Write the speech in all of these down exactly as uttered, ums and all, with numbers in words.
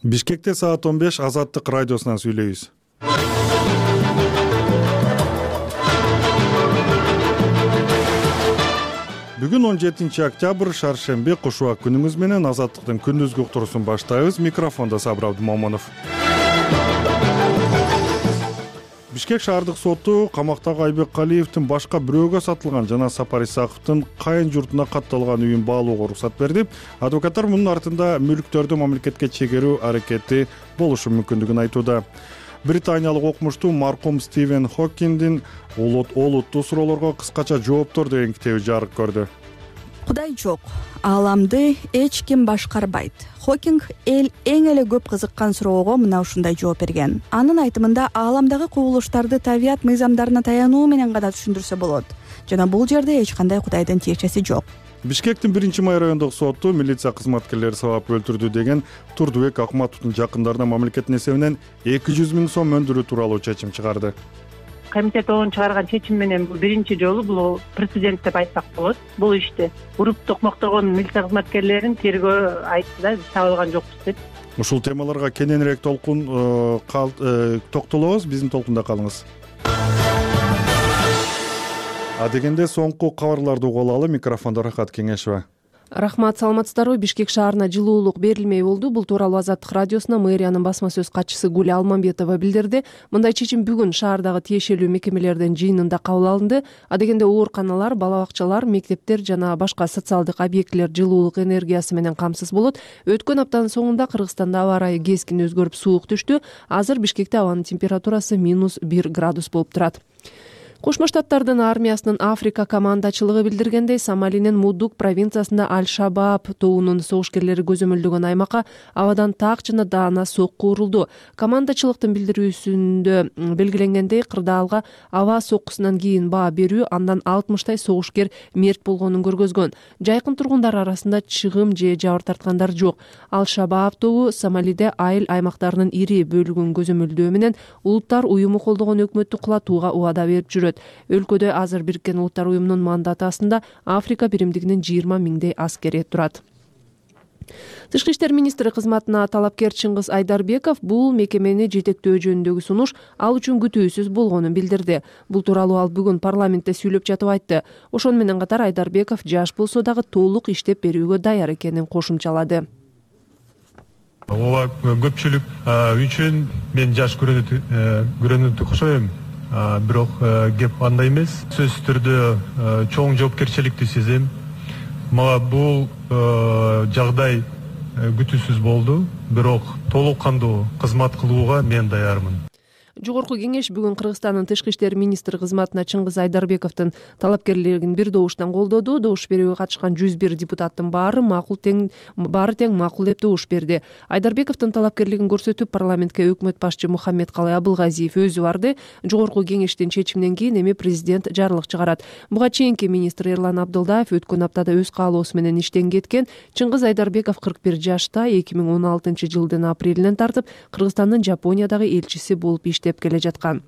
Бишкекте саат он беш Азаттык радиосунан сүйлөйбүз. Бүгүн он жетинчи октябрь шаршемби кушубак күнүңүз менен Азаттыктын күндүзгү уктуруусун баштайбыз. Микрофондо Сабыр Абдымомунов. Бишкек шаардык соту камактагы Айбек Калиевдин башка бирөөгө сатылган жана Сапар Исаковдун кайын журтуна катталган үйүн баалоого уруксат берди. Адвокаттар мунун артында мүлктөрдү мамлекетке чегерүү аракети болушу мүмкүндүгүн айтууда. Британиялык окумуштуу маркум Стивен Хокиндин олуттуу суроолорго кыскача жооптор деген китеби жарык көрдү. Кудай жок, ааламды эч ким башкарбайт. Хокинг эл эң эле көп кызыккан суроого мына ушундай жооп берген. Анын айтымында ааламдагы кубулуштарды табият мыйзамдарына таянуу менен гана түшүндүрсө болот. Жана бул жерде эч кандай Кудайдын тиешеси жок. Бишкектин биринчи май райондук соту милиция кызматкерлери сабап өлтүрдү деген Турдубек Акматовдун жакындарына мамлекеттин эсебинен эки жүз миң сом өндүрүү тууралуу чечим чыгарды. Комитет оң чыгарган чечим менен бул биринчи жолу бул президент деп айтсак болот. Бул ишти уруп токмоктогон милиция кызматкерлерин тергөө айтты да, биз таба алган жокпуз деп. Ушул темаларга кененирээк толкун токтолобуз, биздин толкунда калыңыз. А дегенде соңку кабарларды угуп алалы. Микрофондо Рахат Кеңешева. Рахмат, саламатсыздарбы? Бишкек шаарына жылуулук берилмей болду. Бул тууралуу Азаттык радиосуна мэриянын басма сөз катчысы Гүл Алмамбетова билдирди. Мындай чечим бүгүн шаардагы тиешелүү мекемелердин жыйынында кабыл алынды. А дегенде ооруканалар, бала бакчалар, мектептер жана башка социалдык объектилер жылуулук энергиясы менен камсыз болот. Өткөн аптанын соңунда Кыргызстанда аба ырайы кескин өзгөрүп суук түштү. Азыр Бишкекте абанын температурасы минус бир градус болуп турат. Кошмо Штаттардын армиясынын Африка командачылыгы билдиргендей, Сомалинин Мудук провинциясында Аль-Шабаб тобунун согушкерлери көзөмөлдөгөн аймакка абадан так жана даана сокку урулду. Командачылыктын билдирүүсүндө белгиленгендей, кырдаалга аба соккусунан кийин баа берүү андан алтымыштай согушкер мерт болгонун көргөзгөн. Жайкын тургундар арасында чыгым же жабыр тарткандар жок. Аль-Шабаб тобу Сомалиде айыл аймактарынын ири бөлүгүн көзөмөлдөө менен улуттар уюму колдогон өкмөттү кулатууга убада берип жүрөт. Өлкөдө азыр Бириккен Улуттар уюмунун мандаты астында Африка биримдигинин жыйырма миңдей аскери турат. Тышкы иштер министри кызматына талапкер Чыңгыз Айдарбеков бул мекемени жетектөө жөнүндөгү сунуш ал үчүн күтүүсүз болгонун билдирди. Бул тууралуу ал бүгүн парламентте сүйлөп жатып айтты. Ошону менен катар Айдарбеков жаш болсо дагы толук иштеп берүүгө даяр экенин кошумчалады. Ооба көпчүлүк үчүн мен жаш көрүнүп окшойм. Бирок кеп андай эмес. Сөзсүз түрдө чоң жоопкерчиликти сезем. Мага бул жагдай күтүүсүз болду, бирок толук кандуу кызмат кылууга мен даярмын. Жогорку кеңеш бүгүн Кыргызстандын тышкы иштер министри кызматына Чыңгыз Айдарбековдун талапкерлигин бир добуштан колдоду. Добуш берүүгө катышкан жүз бир депутаттын баары макул тең баары тең макул деп добуш берди. Айдарбековдун талапкерлигин көрсөтүп парламентке өкмөт башчы Мухаммедкалый Абылгазиев өзү барды. Жогорку кеңештин чечиминен кийин эми президент жарлык чыгарат. Буга чейинки министр Эрлан Абдылдаев өткөн аптада өз каалоосу менен иштен кеткен. Чыңгыз Айдарбеков кырк бир жашта эки миң он алтынчы жылдын апрелинен тартып Кыргызстандын Жапониядагы элчиси болуп иштеп келе жаткан.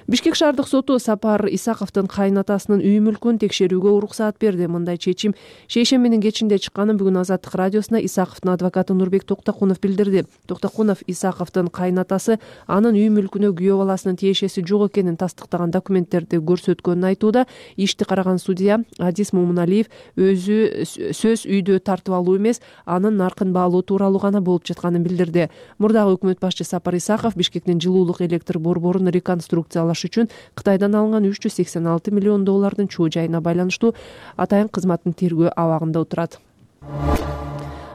Бишкек шаардык соту Сапар Исаковдун кайнатасынын үй мүлкүн текшерүүгө уруксаат берди. Мындай чечим шейшембинин кечинде чыкканын бүгүн Азаттык радиосуна Исаковдун адвокаты Нурбек Токтокунов билдирди. Токтокунов Исаковдун кайнатасы анын үй мүлкүнө күйөө баласынын тиешеси жок экенин тастыктаган документтерди көрсөткөнүн айтууда. Ишти караган судья Адис Момуналиев өзү сөз үйдө тартып алуу эмес, анын наркын баалоо тууралуу гана болуп жатканын билдирди. Мурдагы өкмөт башчы Сапар Исаков Бишкектин жылуулук электр борборун реконструкциялаш үчүн Кытайдан алынган үч жүз сексен алты миллион доллардын чоо жайына байланыштуу атайын кызматтын тергөө абагында отурат.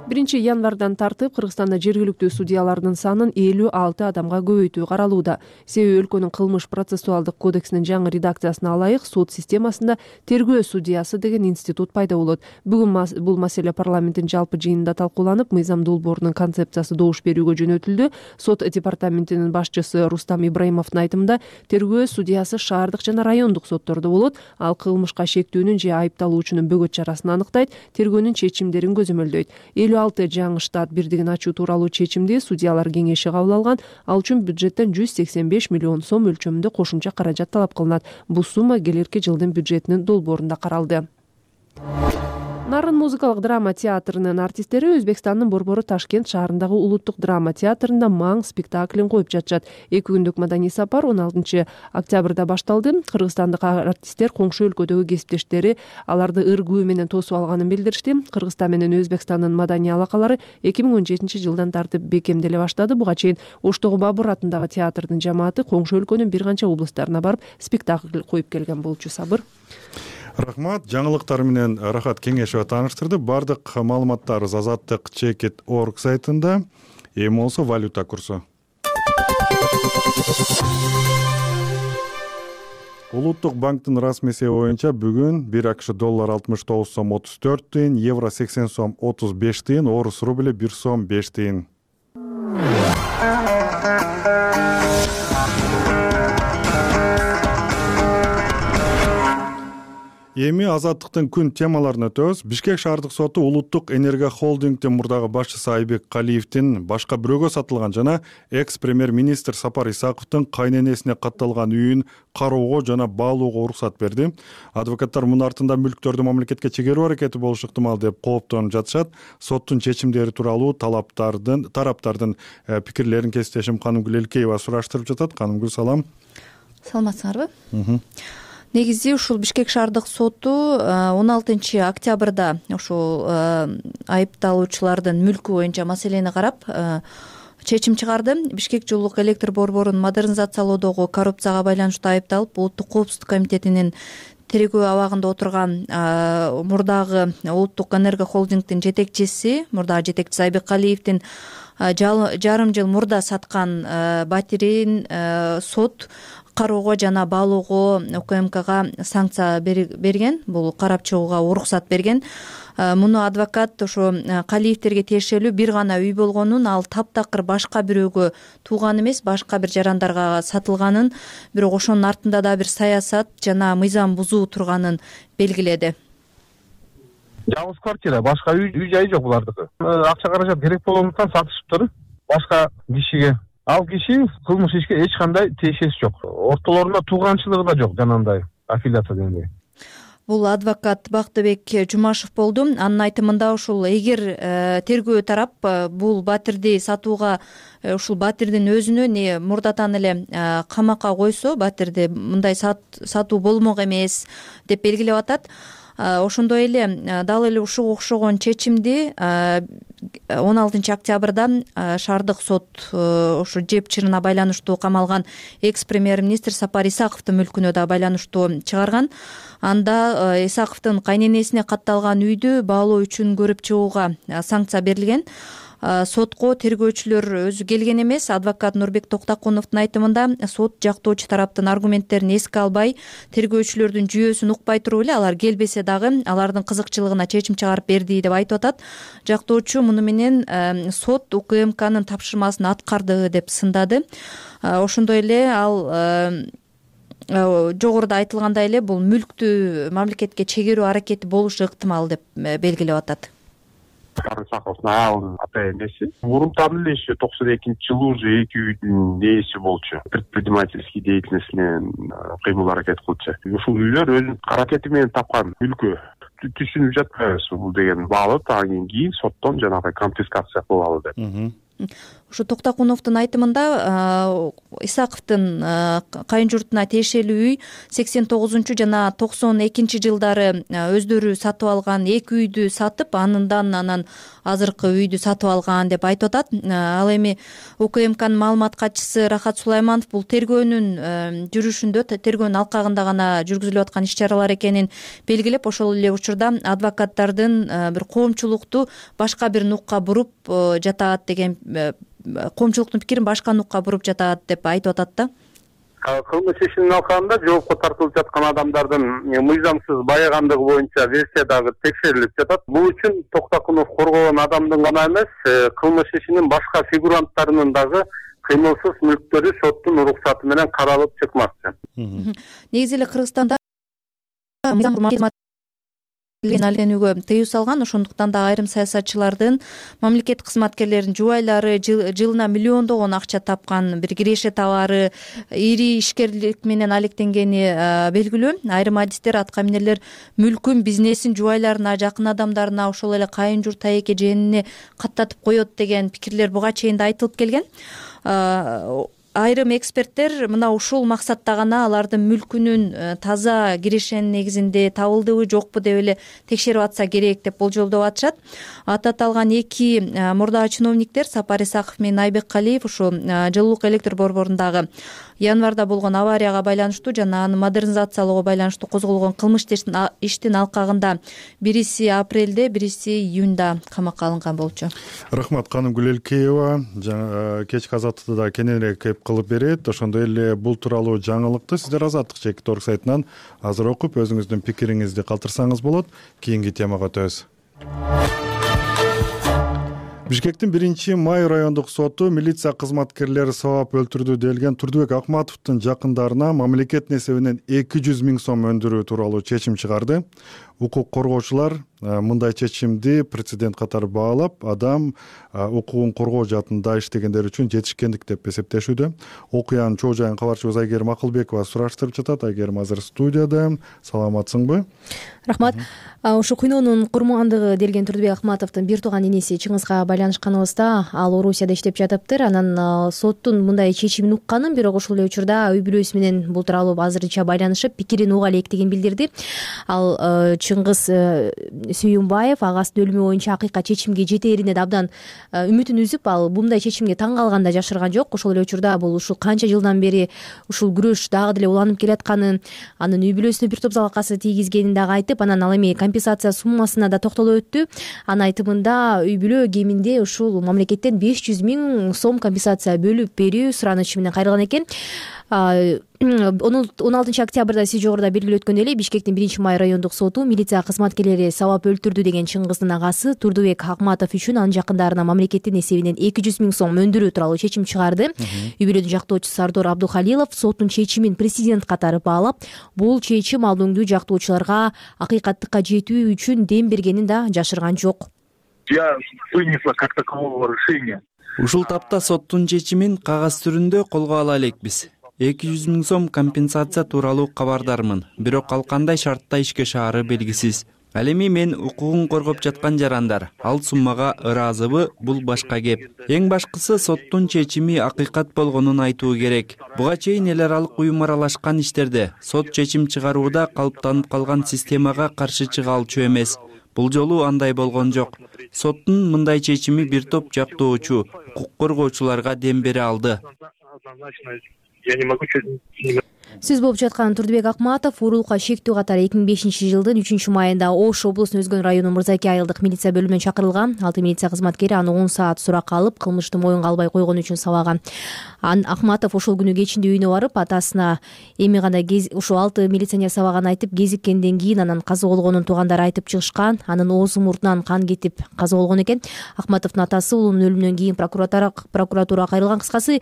биринчи январдан тартып Кыргызстанда жергиликтүү судьялардын санын элүү алты адамга көбөйтүү каралууда. Себеби өлкөнүн кылмыш процессуалдык кодексинин жаңы редакциясына ылайык сот системасында тергөө судьясы деген институт пайда болот. Бүгүн бул маселе парламенттин жалпы жыйынында талкууланып, мыйзам долбоорунун концепциясы добуш берүүгө жөнөтүлдү. Сот департаментинин башчысы Рустам Ибраимовдун айтымында, тергөө судьясы шаардык жана райондук соттордо болот. Ал кылмышка шектүүнүн же айыпталуучунун бөгөт чарасын аныктайт, тергөөнүн чечимдерин көзөмөлдөйт. элүү алты жаңы штат бирдигин ачуу тууралуу чечимди судьялар кеңеши кабыл алган. Ал үчүн бюджеттен жүз сексен беш миллион сом өлчөмүндө кошумча каражат талап кылынат. Бул сумма келерки жылдын бюджетинин долбоорунда каралды. Нарын музыкалык драма театрынын артисттери Өзбекстандын Борбору Ташкент шаарындагы Улуттук драма театрында маң спектаклин коюп жатышат. Эки күндүк маданий сапар он алтынчы октябрда башталды. Кыргызстандык артисттер коңшу өлкөдөгү кесиптештери аларды ыргуу менен тосуп алганын билдиришти. Кыргызстан менен Өзбекстандын маданий алакалары эки миң он жетинчи жылдан тартып бекемделе баштады. Буга чейин Оштогу Бабур атындагы театрдын жамааты коңшу өлкөнүн бир канча облустарына барып спектакль коюп келген болчу. Сабыр. Рахмат. Жаңылыктар менен Рахат Кеңешева тааныштырды. Бардык маалыматтарыбыз азаттык чекит точка орг сайтында. Эми болсо валюта курсу. Улуттук банктын расмий эсеби боюнча бүгүн бир акш доллар алтымыш тогуз сом отуз төрт тыйын, евро сексен сом отуз беш тыйын, орус рубли бир сом беш тыйын. Эми азаттыктын күн темаларына өтөбүз. Бишкек шаардык соту Улуттук энергия холдингдин мурдагы башчысы Айбек Калиевдин башка бирөөгө сатылган жана экс-премьер-министр Сапар Исаковдун кайненесине катталган үйүн кароого жана баалоого уруксат берди. Адвокаттар мунун артында мүлктөрдү мамлекетке чегерүү аракети болушу ыктымал деп кооптонуп жатышат. Соттун чечимдери тууралуу талаптардын тараптардын пикирлерин кесиптешим Канымгүл Элкеева сураштырып жатат. Канымгүл, салам. Саламатсыңарбы? Негизи ушул Бишкек шаардык соту он алтынчы октябрда ушул айыпталуучулардын мүлкү боюнча маселени карап чечим чыгарды. Бишкек жылуулук электр борборун модернизациялоодогу коррупцияга байланыштуу айыпталып, Улуттук коопсуздук комитетинин тергөө абагында отурган мурдагы Улуттук энергия холдингдин жетекчиси, мурдагы жетекчиси Айбек Калиевдин жарым жыл мурда саткан батирин сот кароого жана баалоого УКМКга санкция берген, бул карап чыгууга уруксат берген. Муну адвокат ошо Калиевдерге тиешелүү бир гана үй болгонун, ал таптакыр башка бирөөгө тууган эмес, башка бир жарандарга сатылганын, бирок ошонун артында да бир саясат жана мыйзам бузуу турганын белгиледи. Жалгыз квартира, башка үй үй жайы жок булардыкы. Акча каражат керек болгондуктан сатышыптыр башка кишиге. Ал киши кылмыш ишке эч кандай тиешеси жок. Ортолорунда тууганчылыгы да жок, жанагындай аффилиация дегендей. Бул адвокат Бактыбек Жумашев болду. Анын айтымында ушул эгер тергөө тарап бул батирди сатууга, ушул батирдин өзүнө не мурдатан эле камакка койсо, батирди мындай сатуу болмок эмес деп белгилеп атат. Ошондой эле дал эле ушуга окшогон чечимди он алтынчы октябрда шаардык сот ошо жеп чырына байланыштуу камалган экс-премьер-министр Сапар Исаковдун мүлкүнө да байланыштуу чыгарган. Анда Исаковдун кайненесине катталган үйдү баалоо үчүн көрүп чыгууга санкция берилген. Сотко тергөөчүлөр өзү келген эмес. Адвокат Нурбек Токтакуновдун айтымында сот жактоочу тараптын аргументтерин эске албай, тергөөчүлөрдүн жүйөсүн укпай туруп эле алар келбесе дагы алардын кызыкчылыгына чечим чыгарып берди деп айтып атат. Жактоочу муну менен сот УКМКнын тапшырмасын аткарды деп сындады. Ошондой эле ал жогоруда айтылгандай эле бул мүлктү мамлекетке чегерүү аракети болушу ыктымал деп белгилеп атат. Саховдун аялынын ата энеси мурунтан эле еще токсон экинчи жылы уже эки үйдүн ээси болчу. Предпринимательский деятельностине кыймыл аракет кылчу. Ушул үйлөр өзүнүн аракети менен тапкан мүлкү. Түшүнүп жатпайбыз бул деген баалы андан кийин соттон жанагы конфискация кылалы деп. Ушу Токтакуновдун айтымында Исаковдун кайын журтуна тиешелүү үй сексен тогузунчу жана токсон экинчи жылдары өздөрү сатып алган эки үйдү сатып, анындан анан азыркы үйдү сатып алган деп айтып атат. Ал эми УКМКнын маалымат катчысы Рахат Сулайманов бул тергөөнүн жүрүшүндө, тергөөнүн алкагында гана жүргүзүлүп аткан иш-чаралар экенин белгилеп, ошол эле учурда адвокаттардын бир коомчулукту башка бир нукка буруп жатат деген, коомчулуктун пикирин башка нукка буруп жатат деп айтып атат да. Кылмыш ишинин алкагында жоопко тартылып жаткан адамдардын мыйзамсыз байыгандыгы боюнча версия дагы текшерилип жатат. Бул үчүн Токтакунов коргогон адамдын гана эмес, кылмыш ишинин башка фигуранттарынын дагы кыймылсыз мүлктөрү соттун уруксаты менен каралып чыкмакчы. Негизи эле Кыргызстанда алектенүүгө тыюу салган. Ошондуктан да айрым саясатчылардын мамлекет кызматкерлеринин жубайлары жылына миллиондогон акча тапкан, бир киреше табары, ири ишкерлик менен алектенгени белгилүү. Айрым адистер, атка минерлер мүлкүн, бизнесин жубайларына, жакын адамдарына, ошол эле кайын журт, тайеке, жээнине каттатып коет деген пикирлер буга чейин да айтылып келген. Айрым эксперттер мына ушул максатта гана алардын мүлкүнүн таза кирешенин негизинде табылдыбы жокпу деп эле текшерип атса керек деп болжолдоп атышат. Аты аталган эки мурдагы чиновниктер Сапар Исаков менен Айбек Калиев ушул жылуулук электр борборундагы январда болгон аварияга байланыштуу жана аны модернизациялоого байланыштуу козголгон кылмыш иштин алкагында бириси апрелде, бириси июнда камакка алынган болчу. Рахмат, Каным Гүлелкеева кечки Азаттыкта кененирээк кеп кылып берет. Ошондой эле бул тууралуу жаңылыкты сиздер Азаттык чекит орг сайтынан азыр окуп өзүңүздүн пикириңизди калтырсаңыз болот. Кийинки темага өтөбүз. Бишкектин биринчи май райондук соту милиция кызматкерлери сабап өлтүрдү делген Турдубек Акматовдун жакындарына мамлекет эсебинен эки жүз миң сом өндүрүү тууралуу чечим чыгарды. Укук коргоочулар мындай чечимди прецедент катары баалап, адам укугун коргоо жаатында иштегендер үчүн жетишкендик деп эсептешүүдө. Окуянын чоо жайын кабарчыбыз Айгерим Акылбекова сураштырып жатат. Айгерим азыр студияда. Саламатсыңбы? Рахмат. Ушу кыйноонун курмандыгы делген Турдубек Акматовдун бир тууган инеси Чыңгызга байланышканыбызда, ал Орусияда иштеп жатыптыр. Анан соттун мындай чечимин укканын, бирок ошол эле учурда үй бүлөсү менен бул тууралуу азырынча байланышып, пикирин уга электигин билдирди. Ал Чыңгыз Сүйүнбаев агасынын өлүмү боюнча акыйкат чечимге жетээрине да абдан үмүтүн үзүп, ал мындай чечимге таң калганда жашырган жок. Ошол эле учурда бул ушул канча жылдан бери ушул күрөш дагы деле уланып келатканын, анын үй бүлөсүнө бир топ залалкасы тийгизгенин дагы айтып, анан ал эми компенсация суммасына да токтолуп өттү. Анын айтымында үй бүлө кеминде ушул мамлекеттен беш жүз миң сом компенсация бөлүп берүү суранычы менен кайрылган экен. он алтынчы октябрда сиз жогоруда белгилеп өткөн эле Бишкектин биринчи май райондук соту милиция кызматкерлери сабап өлтүрдү деген Чыңгыздын агасы Турдубек Акматов үчүн анын жакындарына мамлекеттин эсебинен эки жүз миң сом өндүрүү тууралуу чечим чыгарды. Үй бүлөнүн жактоочусу Сардор Абдухалилов соттун чечимин президент катары баалап, бул чечим алдыңдуу жактоочуларга акыйкаттыкка жетүү үчүн дем бергенин да жашырган жок. Я вынесла как такового решения. Ушул тапта соттун чечимин кагаз түрүндө колго ала элекпиз. эки жүз миң сом компенсация тууралуу кабардармын, бирок ал кандай шартта ишке шаары белгисиз. Ал эми мен укугун коргоп жаткан жарандар ал суммага ыраазыбы, бул башка кеп. Эң башкысы соттун чечими акыйкат болгонун айтуу керек. Буга чейин эл аралык уюм аралашкан иштерде сот чечим чыгарууда калыптанып калган системага каршы чыга алчу эмес. Бул жолу андай болгон жок. Соттун мындай чечими бир топ жактоочу, укук коргоочуларга дем бере алды. Я не могу. Сөз болуп жаткан Турдубек Акматов уурулукка шектүү катары эки миң бешинчи жылдын үчүнчү майында Ош облусунун Өзгөн районунун Мырзаке айылдык милиция бөлүмүнөн чакырылган. Алты милиция кызматкери аны он саат суракка алып, кылмышты моюнга албай койгон үчүн сабаган. Акматов ошол күнү кечинде үйүнө барып, атасына эми гана ушул алты милиционер сабаганын айтып, кезиккенден кийин анан каза болгонун туугандары айтып чыгышкан. Анын оозу мурдунан кан кетип каза болгон экен. Акматовдун атасы уулунун өлүмүнөн кийин прокуратурага кайрылган. Кыскасы,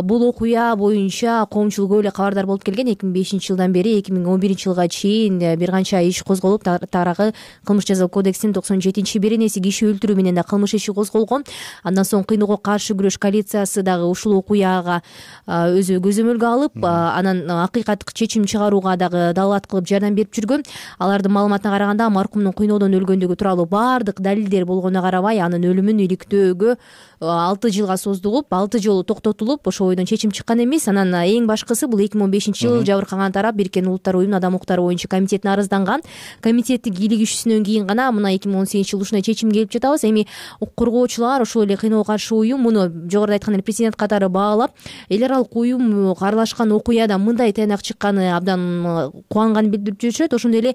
бул окуя боюнча коомчулук көп эле кабардар болуп келген. эки миң бешинчи жылдан бери эки миң он биринчи жылга чейин бир канча иш козголуп, тарагы кылмыш жаза кодексинин токсон жетинчи беренеси киши өлтүрүү менен да кылмыш иши козголгон. Андан соң кыйноого каршы күрөш коалициясы дагы ушул окуяга өзү көзөмөлгө алып, анан акыйкаттык чечим чыгарууга дагы далаат кылып жардам берип жүргөн. Алардын маалыматына караганда, маркумдун кыйноодон өлгөндүгү тууралуу баардык далилдер болгонуна карабай, анын өлүмүн иликтөөгө алты жылга создугуп, алты жолу токтотулуп, ошол бойдон чечим чыккан эмес. Анан эң башкысы бул эки миң он бешинчи жыл жабыркаган тарап Бириккен Улуттар уюмунун адам укуктары боюнча комитетине арызданган. Комитеттин кийлигишүүсүнөн кийин гана мына эки миң он сегизинчи жылы ушундай чечимге келип жатабыз. Эми укук коргоочулар, ошол эле кыйноого каршы уюм муну жогоруда айткан эле президент катары баалап, эл аралык уюм аралашкан окуяда мындай тыянак чыкканы абдан кубанганын билдирип жүрүшөт. Ошондой эле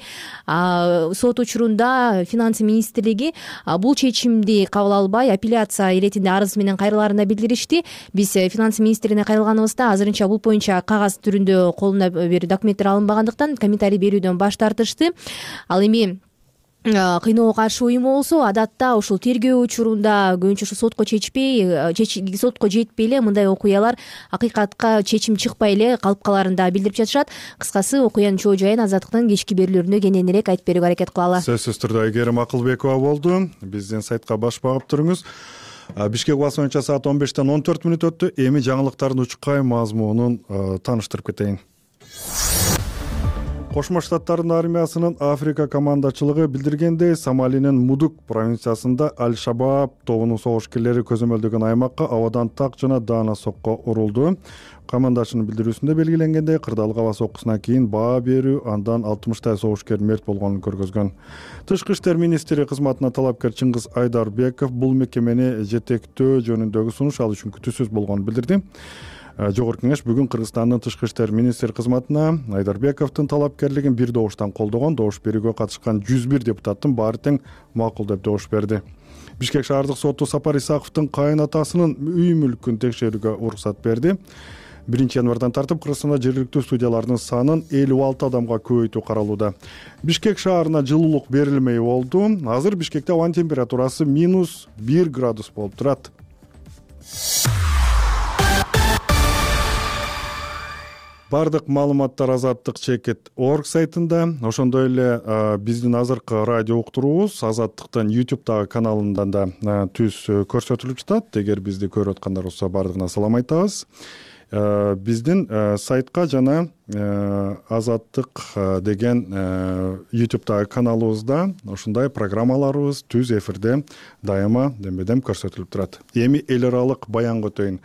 сот учурунда финансы министрлиги бул чечимди кабыл албай, апелляция иретинде арыз менен кайрылаарын да билдиришти. Биз финансы министрлигине кайрылганыбызда азырынча бул боюнча кагаз түрүндө колуна бир документтер алынбагандыктан комментарий берүүдөн баш тартышты. Ал эми кыйноого каршы уюму болсо адатта ушул тергөө учурунда көбүнчө ушу сотко чечпей сотко жетпей эле мындай окуялар акыйкатка чечим чыкпай эле калып калаарын да билдирип жатышат. Кыскасы окуянын чоо жайын Азаттыктын кечки берүүлөрүндө кененирээк айтып берүүгө аракет кылалы. Сөзсүз түрдө Айгерим Акылбекова болду. Биздин сайтка баш багып туруңуз. Бишкек убасы боюнча саат он бештен он төрт мүнөт өттү. Эми жаңылыктардын учкай мазмунун тааныштырып кетейин. Кошмо Штаттардын армиясынын Африка командачылыгы билдиргендей, Сомалинин Мудук провинциясында Аль-Шабаб тобунун согушкерлери көзөмөлдөгөн аймакка абадан так жана даана сокко урулду. Командачынын билдирүүсүндө белгиленгендей, кырдаалгы аба соккусунан кийин баа берүү андан алтымыштай согушкер мерт болгонун көргөзгөн. Тышкы иштер министри кызматына талапкер Чыңгыз Айдарбеков бул мекемени жетектөө жөнүндөгү сунуш ал үчүн күтүүсүз болгонун билдирди. Жогорку кеңеш бүгүн Кыргызстандын тышкы иштер министри кызматына Айдарбековдун талапкерлигин бир добуштан колдогон. Добуш берүүгө катышкан жүз бир депутаттын баары тең макул деп добуш берди. Бишкек шаардык соту Сапар Исаковдун кайынатасынын үй мүлкүн текшерүүгө уруксат берди. биринчи январдан тартып Кыргызстанда жергиликтүү судьялардын санын элүү алты адамга көбөйтүү каралууда. Бишкек шаарына жылуулук берилмей болду. Азыр Бишкекте абанын температурасы минус бир градус болуп турат. Бардык маалыматтар Азаттык чекит орг сайтында. Ошондой эле биздин азыркы радио уктуруубуз Азаттыктын YouTube каналында да түз көрсөтүлүп жатат. Эгер бизди көрүп аткандар болсо бардыгына салам айтабыз. Биздин сайтка жана Азаттык деген YouTube каналыбызда ушундай программаларыбыз түз эфирде дайыма дембедем көрсөтүлүп турат. Эми эл аралык баянга өтөйүн.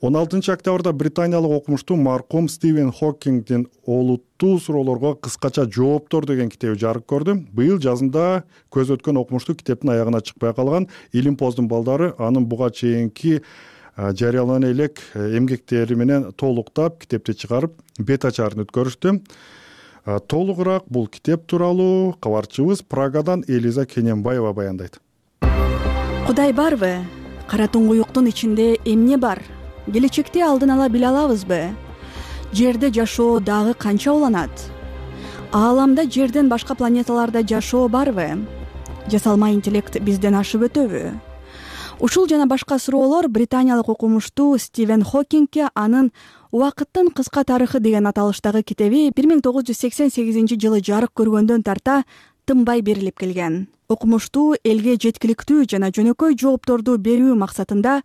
он алтынчы октябрда британиялык окумуштуу маркум Стивен Хокингдин олуттуу суроолорго кыскача жооптор деген китеби жарык көрдү. Быйыл жазында көз өткөн окумуштуу китептин аягына чыкпай калган Илимпоздун балдары анын буга чейинки жарыялана элек эмгектери менен толуктап китепти чыгарып бет ачарын өткөрүштү. Толугураак бул китеп тууралуу кабарчыбыз Прагадан Элиза Кененбаева баяндайт. Кудай барбы? Кара туңгуюктун ичинде эмне бар? Келечекте алдын ала биле алабызбы? Жерде жашоо дагы канча уланат? Ааламда жерден башка планеталарда жашоо барбы? Жасалма интеллект бизден ашып өтөбү? Ушул жана башка суроолор британиялык окумуштуу Стивен Хокингге анын «Убакыттын кыска тарыхы» деген аталыштагы китеби бир миң тогуз жүз сексен сегизинчи жылы жарык көргөндөн тарта тынбай берилип келген. Окумуштуу элге жеткиликтүү жана жөнөкөй жоопторду берүү максатында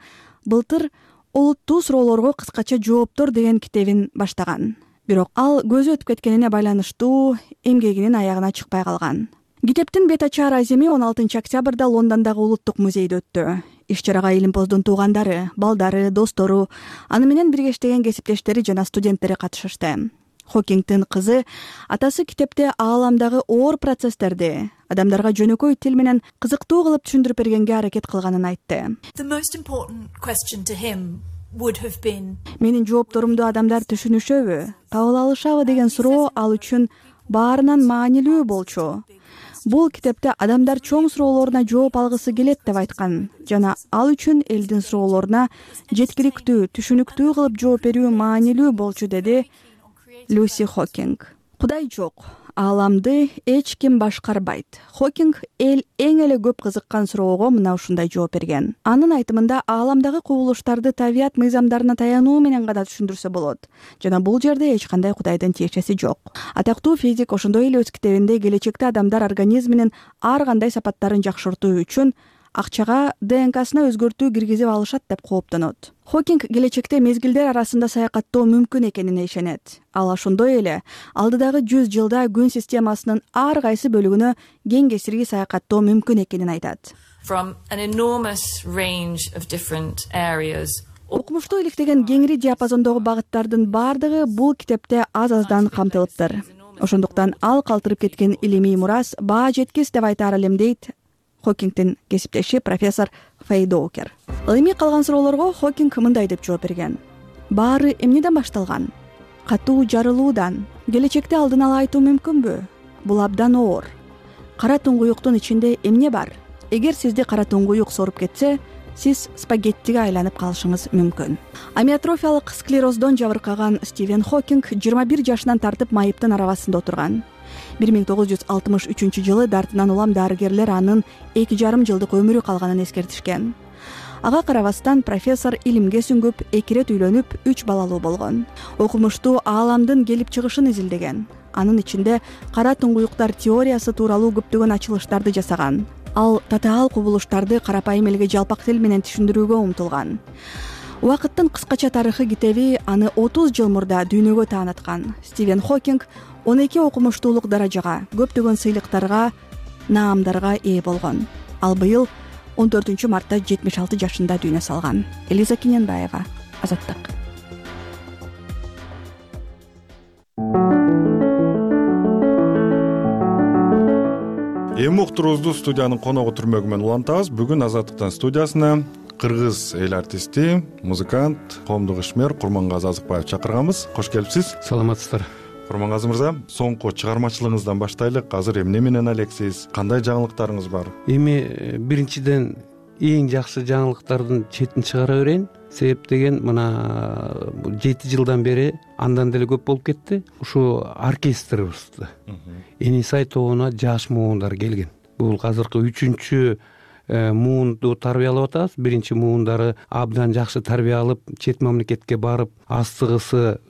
былтыр олуттуу суроолорго кыскача жооптор деген китебин баштаган. Бирок ал көзү өтүп кеткенине байланыштуу эмгегинин аягына чыкпай калган. Китептин бет ачар аземи он алтынчы октябрда Лондондогу улуттук музейде өттү. Иш-чарага Илимпоздун туугандары, балдары, достору, аны менен бирге иштеген кесиптештери жана студенттери катышышты. Хокингдин кызы атасы китепте ааламдагы оор процесстерди адамдарга жөнөкөй тил менен кызыктуу кылып түшүндүрүп бергенге аракет кылганын айтты. Менин жоопторумду адамдар түшүнүшөбү, кабыл алышабы деген суроо ал үчүн баарынан маанилүү болчу. Бул китепте адамдар чоң суроолоруна жооп алгысы келет деп айткан жана ал үчүн элдин суроолоруна жеткиликтүү, түшүнүктүү кылып жооп берүү маанилүү болчу, деди Люси Хокинг. Кудай жок, ааламды эч ким башкарбайт. Хокинг эл эң эле көп кызыккан суроого мына ушундай жооп берген. Анын айтымында ааламдагы кубулуштарды табият мыйзамдарына таянуу менен гана түшүндүрсө болот жана бул жерде эч кандай кудайдын тиешеси жок. Атактуу физик ошондой эле өз китебинде келечекте адамдар организминин ар кандай сапаттарын жакшыртуу үчүн акчага ди эн касына өзгөртүү киргизип алышат деп кооптонот. Хокинг келечекте мезгилдер арасында саякаттоо мүмкүн экенине ишенет. Ал ошондой эле алдыдагы жүз жылда күн системасынын ар кайсы бөлүгүнө кең кесирги саякаттоо мүмкүн экенин айтат. Окумуштуу иликтеген кеңири диапазондогу багыттардын бардыгы бул китепте аз-аздан камтылыптыр. Ошондуктан ал калтырып кеткен илимий мурас баа жеткис деп айтаар элем, дейт Хокингдин кесиптеши профессор Фэй Доукер. Илимий калган суроолорго Хокинг мындай деп жооп берген. Баары эмнеден башталган? Катуу жарылуудан. Келечекте алдын ала айтуу мүмкүнбү? Бул абдан оор. Кара туңгуюктун ичинде эмне бар? Эгер сизди кара туңгуюк соруп кетсе, сиз спагеттиге айланып калышыңыз мүмкүн. Амиотрофиялык склероздон жабыркаган Стивен Хокинг жыйырма бир жашынан тартып майыптын арабасында отурган. бир миң тогуз жүз алтымыш үчүнчү жылы дартынан улам дарыгерлер анын эки жарым жылдык өмүрү калганын эскертишкен. Ага карабастан профессор илимге сүңгүп, эки ирет үйлөнүп, үч балалуу болгон. Окумуштуу ааламдын келип чыгышын изилдеген. Анын ичинде кара туңгуюктар теориясы тууралуу көптөгөн ачылыштарды жасаган. Ал татаал кубулуштарды карапайым элге жалпак тил менен түшүндүрүүгө умтулган. Убакыттын кыскача тарыхы китеби аны отуз жыл мурда дүйнөгө тааныткан. Стивен Хокинг он эки окумуштуулук даражага, көптөгөн сыйлыктарга, наамдарга ээ болгон. Ал быйыл он төртүнчү мартта жетимиш алты жашында дүйнө салган. Элиза Кененбаева, Азаттык. Эми уктуруубузду студиянын коногу түрмөгү менен улантабыз. Бүгүн Азаттыктын студиясына кыргыз эл артисти, музыкант, коомдук ишмер Курмангазы Азыкбаев чакырганбыз. Кош келипсиз. Саламатсыздар. Курмангазы мырза, соңку чыгармачылыгыңыздан баштайлык. Азыр эмне менен алексиз? Кандай жаңылыктарыңыз бар? Эми биринчиден эң жакшы жаңылыктардын четин чыгара берейин. Себеп деген мына жети жылдан бери андан деле көп болуп кетти. Ушу оркестрибизди Энисай тобуна жаш муундар келген. Бул азыркы үчүнчү муунду тарбиялап атабыз. Биринчи муундары абдан жакшы тарбия алып, чет мамлекетке барып, астыгысы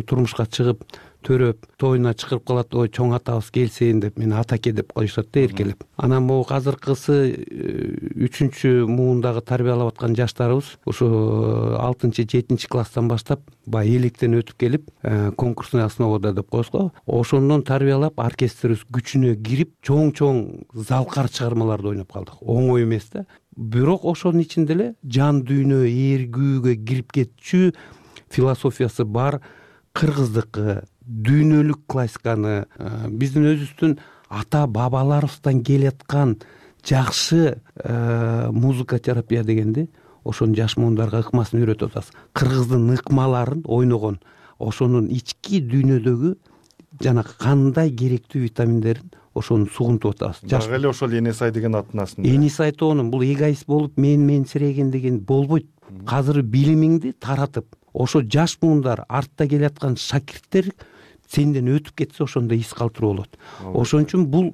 турмушка чыгып, төрөп, тоюна чакырып калат, ой чоң атабыз келсейин деп, мени атаке деп коюшат да эркелеп. Анан могу азыркысы үчүнчү муундагы тарбиялап аткан жаштарыбыз ушу алтынчы жетинчи класстан баштап баягы электен өтүп келип, конкурсный основада деп коебуз го. Ошондон тарбиялап оркестрибиз күчүнө кирип, чоң-чоң залкар чыгармаларды ойноп калдык. Оңой эмес да. Бирок ошонун ичинде эле жан дүйнө ээргүүгө кирип кетчү философиясы бар кыргыздыкы дүйнөлүк классиканы, биздин өзүбүздүн ата бабаларыбыздан келаткан жакшы музыка терапия дегенди ошонун жаш муундарга ыкмасын үйрөтүп атабыз. Кыргыздын ыкмаларын ойногон, ошонун ички дүйнөдөгү жана кандай керектүү витаминдерин ошону сугунтуп атабыз. Дагы эле ошол Энисай деген аттын астында. Энисай тобунун бул эгоист болуп мен менсиреген деген болбойт. Азыр билимиңди таратып, ошо жаш муундар, артта келаткан шакирттер сенден өтүп кетсе ошондо из калтыруу болот. Ошон үчүн бул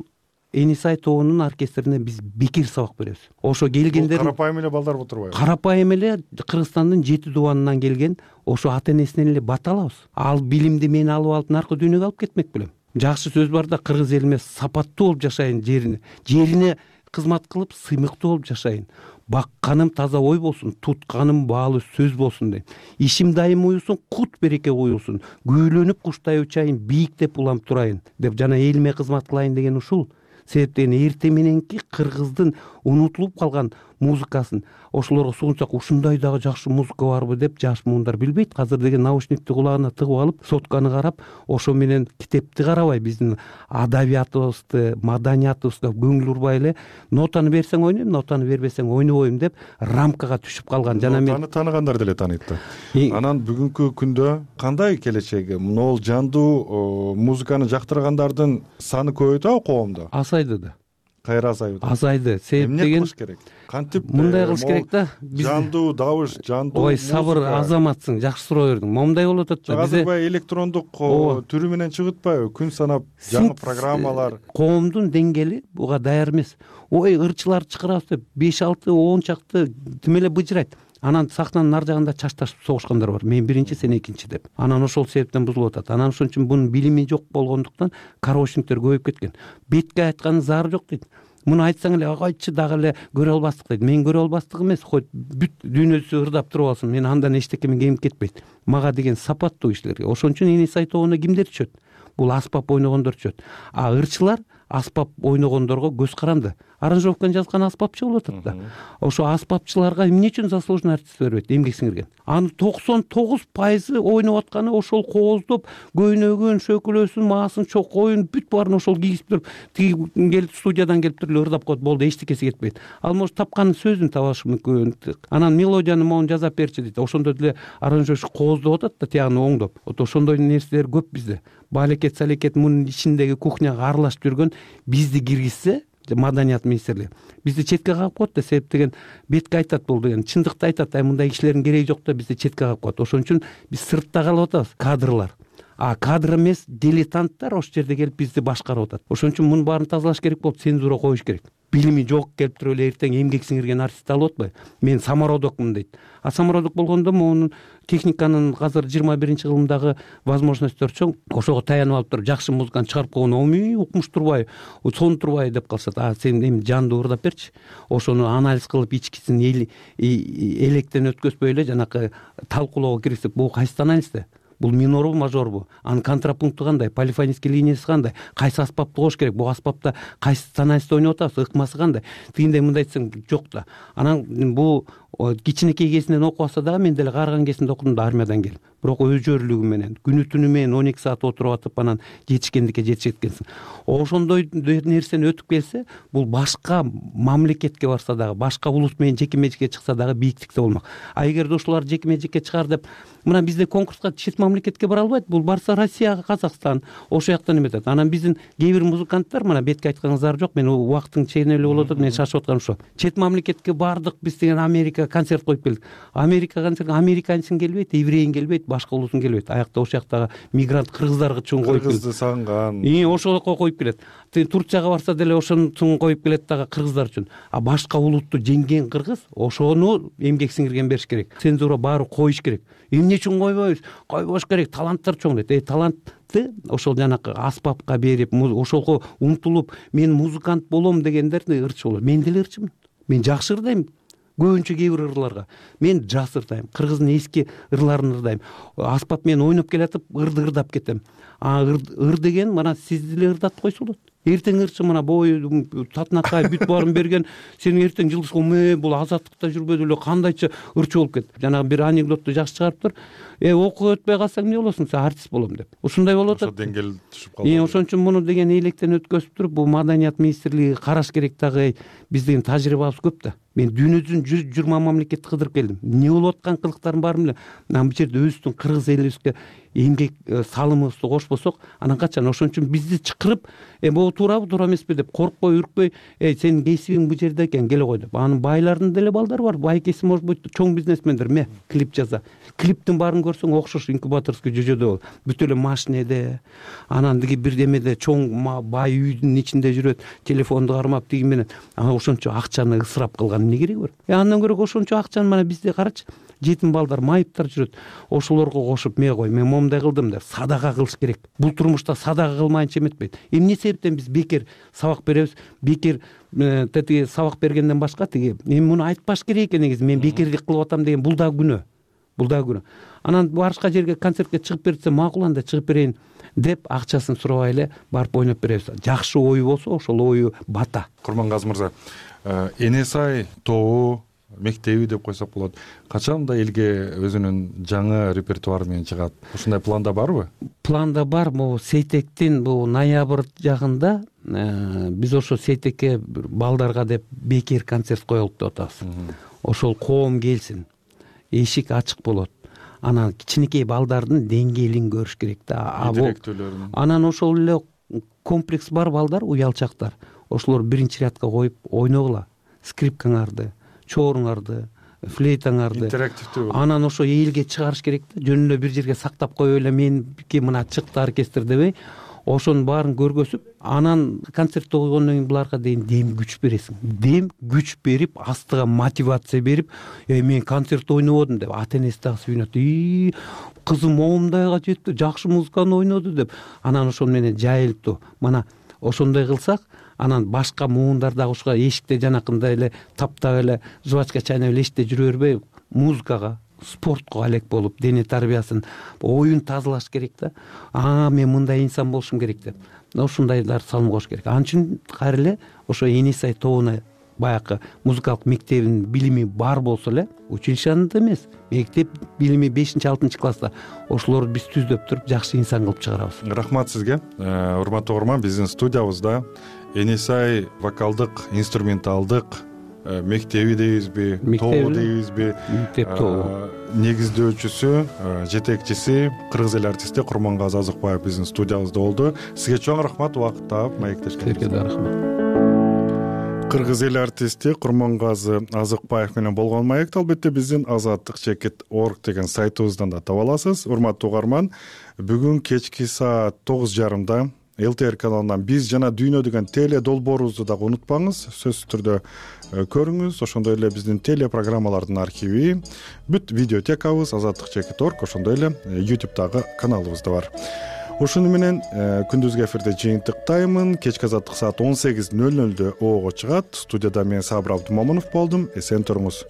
Энисай тобунун оркестрине биз бекер сабак беребиз. Ошо келгендер карапайым эле балдар отурбайбы? Карапайым эле Кыргызстандын жети дубанынан келген, ошо ата энесинен эле бат алабыз. Ал билимди мен алып алып наркы дүйнөгө алып кетмек белем. Жакшы сөз бар да, кыргыз элиме сапаттуу болуп жашайын, жерине, жерине кызмат кылып сыймыктуу болуп жашайын. Бакканым таза ой болсун, тутканым баалуу сөз болсун дейм. Ишим дайым уюлсун, кут береке уюлсун. Күүлөнүп куштай учайын, бийиктеп улам турайын деп жана элиме кызмат кылайын деген ушул. Себептен эрте мененки кыргыздын унутулуп калган музыкасын ошолорго сугунсак, ушундай дагы жакшы музыка барбы деп жаш муундар билбейт. Азыр деген наушникти кулагына тыгып алып, сотканы карап, ошо менен китепти карабай, биздин адабиятыбызды, маданиятыбызга көңүл урбай эле нотаны берсең ойнойм, нотаны бербесең ойнобойм деп рамкага түшүп калган. Жана мен нотаны тааныгандар деле тааныйт да. Анан бүгүнкү күндө кандай келечеги? Могул жандуу музыканы жактыргандардын саны көбөйдүбү коомдо? Азайды да. Кайра азайды? Азайды. Себеп деген кылыш керек? Кантип мындай кылыш керек да. Жандуу табыш, жандуу. Ой, сабыр, азаматсың, жакшы суроо бердиң. Момундай болуп атат да. Азыр баягы электрондук түрү менен чыгып атпайбы? Күн санап жаңы программалар. Коомдун деңгээли буга даяр эмес. Ой, ырчылар чакырабыз деп беш алты он чакты тим эле быжырайт. Анан сахнанын ар жагында чашташып согушкандар бар. Мен биринчи, сен экинчи деп. Анан ошол себептен бузулуп атат. Анан ошон үчүн бунун билими жок болгондуктан кароочниктер көбөйүп кеткен. Бетке айтканын зары жок дейт. Муну айтсаң эле агайчы дагы эле көрө албастык дейт. Мен көрө албастык эмес, койт бүт дүйнөсү ырдап туруп алсын. Мен андан эчтекеме кемип кетпейт. Мага деген сапаттуу кишилерге. Ошон үчүн Энисай тобуна кимдер түшөт? Бул аспап ойногондор түшөт. А ырчылар аспап ойногондорго көз каранды. Аранжировканы жазган аспапчы болуп атат да. Ошо аспапчыларга эмне үчүн заслуженный артист бербейт, эмгек сиңирген? Анын токсон тогуз пайызы ойноп атканы ошол кооздоп, көйнөгүн, шөкөлөсүн, маасын, чокоюн бүт баарын ошол кийип туруп, тиги келип студиядан келип туруп эле ырдап коет, болду, эчтекеси кетпейт. Ал может тапканын сөзүн табышы мүмкүн. Анан мелодияны могун жазап берчи дейт. Ошондо деле аранжировщик кооздоп атат да, тияганы оңдоп. Вот ошондой нерселер көп бизде. Балекет, салекет мунун ичиндеги кухняга аралашып жүргөн бизди киргизсе, маданият министрлиги бизди четке кагып коет да. Себеп деген бетке айтат, бул деген чындыкты айтат. Ай, мындай кишилердин кереги жок да, бизди четке кагып коет. Ошон үчүн биз сыртта калып атабыз, кадрлар. а кадр эмес дилетанттар ошол жерде келип бизди башкарып атат. Ошон үчүн мунун баарын тазалаш керек болуп, цензура коюш керек. Билими жок келип туруп эле эртең эмгек сиңирген артистти алып атпайбы? Мен самородокмун дейт. А самородок болгондо мунун техниканын азыр жыйырма биринчи кылымдагы возможностьтор чоң. Ошого таянып алып туруп жакшы музыкант чыгарып койгон, омий укмуш турбайбы, сонун турбайбы деп калышат. А сен эми жандуу ырдап берчи. Ошону анализ кылып ичкисин электен өткөзбөй эле жанакы талкуулоого киргизип, бул кайсы анализде? Бул минорбу, мажорбу? Анын контрапункту кандай? Полифонический линиясы кандай? Кайсы аспапты кош керек? Бул аспапта кайсы тоналистте ойноп атабыз? Ыкмасы кандай? Тигиндей мындай десең жок да. Анан бул кичинекей кезинен окуп атса дагы, мен деле каарыган кезинде окудум да армиядан келип. Бирок өзжөрлүгү менен күнү түнү менен он эки саат отуруп атып анан жетишкендикке жетишет экенсиң. Ошондой нерсени өтүп келсе, бул башка мамлекетке барса дагы, башка улут менен жеке-межикке чыкса дагы бийиктикте болмок. А эгерде ушулар жеке-межикке чыгар деп, мына бизде конкурска чет мамлекетке бара албайт. Бул барса Россияга, Казакстан, ошол жактан эметет. Анан биздин кээ бир музыканттар, мына бетке айтканыңыздар жок, мен убакыттын чегинелүү болуп атат, мен шашып атканым ошо. Чет мамлекетке бардык биз деген Америка концерт коюп келдик. Америка концерт, американецин келбейт, еврейин келбейт, башка улутун келбейт. Аякта ошол жактагы мигрант кыргыздарга чоң коюп келет. Кыргызды сагынган. И ошолго коюп келет. Турцияга барса деле ошону коюп келет дагы кыргыздар үчүн. А башка улутту жеңген кыргыз ошону эмгек сиңирген бериш керек. Цензура баары коюш керек. Эмне үчүн койбойбуз? Койбош керек. Таланттар чоң дейт. Э, талантты ошол жанакы аспапка берип, ошолго умтулуп, мен музыкант болом дегендер ырчы болот. Мен деле ырчымын. Мен жакшы ырдайм. Көбүнчө кээ бир ырларга. Мен жас ырдайм. Кыргыздын эски ырларын ырдайм. Аспап менен ойноп келатып, ырды ырдап кетем. А ыр деген мына сиз деле ырдатып койсо болот. Эртең ырчы мына бою татынакай бүт баарын берген, сен эртең жылдышка ме бул азаттыкта жүрбөдү эле кандайча ырчы болуп кетти. Жанагы бир анекдотту жакшы чыгарыптыр. Э, окууга өтпөй калсаң эмне болосуң? Сен артист болом деп. Ушундай болуп атат. Ошо деңгээл түшүп калды. Э, ошон үчүн муну деген электен өткөзүп туруп, бул маданият министрлиги караш керек дагы. Биздин тажрыйбабыз көп да. Мен дүйнөдүн жүз жыйырма мамлекетти кыдырып келдим. Эмне болуп аткан кылыктардын баарын билем. Анан бул жерде өзүбүздүн кыргыз элибизге эмгек салымыбызды кошпосок, анан качан? Ошон үчүн бизди чакырып, э, могу туурабы, туура эмеспи деп коркпой, үркпөй, э, сенин кесибиң бул жерде экен, келе кой деп. Анын байлардын деле балдары бар. Байкеси может быть чоң бизнесмендер, ме, клип жаза. Клиптин баарын көрсөң окшош инкубаторский жүйөдө бол. Бүт эле машинеде, анан диги бир демеде чоң бай үйдүн ичинде жүрөт, телефонду кармап тиги менен. Анан ошончо акчаны ысырап кылган эмне кереги бар? Э, андан көрө ошончо акчаны мына бизде карачы. Жетим балдар, майыптар жүрөт. Ошолорго кошуп, ме кой, мен момундай кылдым деп садака кылыш керек. Бул турмушта садака кылмайынча эметпейт. Эмне себептен биз бекер сабак беребиз? Бекер тиги сабак бергенден башка тиги эми муну айтпаш керек экен негизи. Мен бекердик кылып атам деген бул дагы күнөө. Бул дагы күнөө. Анан башка жерге концертке чыгып берсе, макул анда чыгып берейин деп акчасын сурабай эле барып ойноп беребиз. Жакшы ою болсо, ошол ою бата. Курмангазы мырза, Энесай тобу мектеби деп койсок болот. Качанда элге өзүнүн жаңы репертуары менен чыгат? Ушундай планда барбы? Планда бар. Могу Сейтектин бул ноябрь жагында биз ошо Сейтекке балдарга деп бекер концерт коелук деп атабыз. Ошол коом келсин. Эшик ачык болот. Анан кичинекей балдардын деңгээлин көрүш керек да. Анан ошол эле комплекс бар балдар, уялчактар. Ошолор биринчи рядка коюп ойногула. Скрипкаңарды, чооруңарды, флейтаңарды. Интерактивдүү. Анан ошо элге чыгарыш керек да. Жөн эле бир жерге сактап коюп эле меники мына чыкты оркестр дебей, ошонун баарын көргөзүп, анан концертте койгондон кийин буларга дейин дем күч бересиң. Дем күч берип, астыга мотивация берип, э, мен концертте ойнободум деп ата энеси дагы сүйүнөт. И кызым момундайга жетти, жакшы музыканы ойноду деп. Анан ошол менен жайылтуу. Мына ошондой кылсак, анан башка муундар дагы ушуга эшикте жанакындай эле таптап эле жубачка чайнап эле эшикте жүрө бербей, музыкага, спортко алек болуп, дене тарбиясын, оюн тазалаш керек да. А, мен мындай инсан болушум керек деп. Ошондайлар салым кош керек. Ал үчүн кайра эле ошо Энесай тобуна баягы музыкалык мектебинин билими бар болсо эле, училищенде эмес, мектеп билими бешинчи алтынчы класста ошолорду биз түздөп туруп жакшы инсан кылып чыгарабыз. Рахмат сизге. Урматтуу угарман, биздин студиябызда Энесай вокалдык, инструменталдык мектеби дейбизби, тобу дейбизби, мектеп тобу негиздөөчүсү, жетекчиси кыргыз эл артисти Курмангазы Азыкбаев биздин студиябызда болду. Сизге чоң рахмат, убакыт таап маектешкениңизге. Сизге да рахмат. кыргыз эл артисти курмангазы азыкбаев менен болгон маекти албетте биздин азаттык чекит орг деген сайтыбыздан да таба аласыз. Урматтуу угарман, бүгүн кечки саат тогуз жарымда эл ти эр каналынан биз жана дүйнө деген теле долбоорубузду дагы унутпаңыз, сөзсүз түрдө көрүңүз. Ошондой эле биздин телепрограммалардын архиви, бүт видеотекабыз азаттык чекит орг, ошондой эле ютубтагы каналыбыз да бар. Ушуну менен күндүзгү эфирде жыйынтыктаймын. Кечки азаттык саат он сегиз нөл нөлдө оого чыгат. Студияда мен Сабыр Абдымомунов болдум. Эсен туруңуз.